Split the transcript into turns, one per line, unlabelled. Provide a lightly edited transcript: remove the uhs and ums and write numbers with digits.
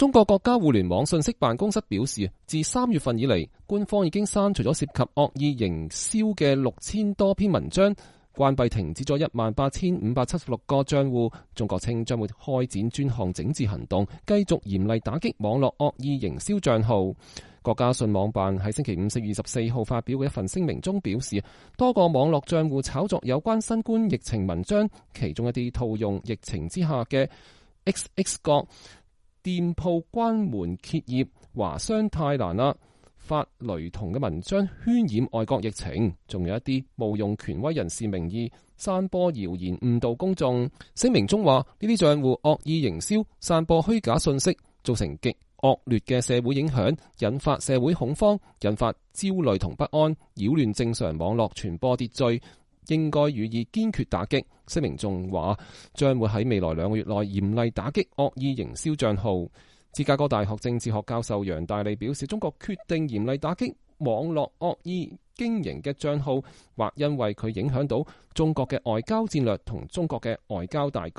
中國國家互聯網信息辦公室表示，自3月份以嚟，官方已經刪除咗涉及惡意營銷嘅6000多篇文章，關閉停止咗18576個賬戶。中國稱將會開展專項整治行動，繼續嚴厲打擊網絡惡意營銷賬號。國家信網辦喺星期5 4月24號發表嘅一份聲明中表示，多個網絡賬戶炒作有關新冠疫情文章，其中一啲套用疫情之下嘅 XX 國店鋪關門歇業、華商太難啦、發雷同嘅文章渲染外國疫情，仲有一啲冒用權威人士名義散播謠言誤導公眾。聲明中話，呢啲賬戶惡意營銷、散播虛假信息，造成極惡劣嘅社會影響，引發社會恐慌，引發焦慮同不安，擾亂正常網絡傳播秩序，應該予以堅決打擊。聲明仲話，將會喺未來2個月內嚴厲打擊惡意營銷賬號。芝加哥大學政治學教授楊大利表示，中國決定嚴厲打擊網絡惡意經營嘅賬號，或因為佢影響到中國嘅外交戰略同中國嘅外交大局。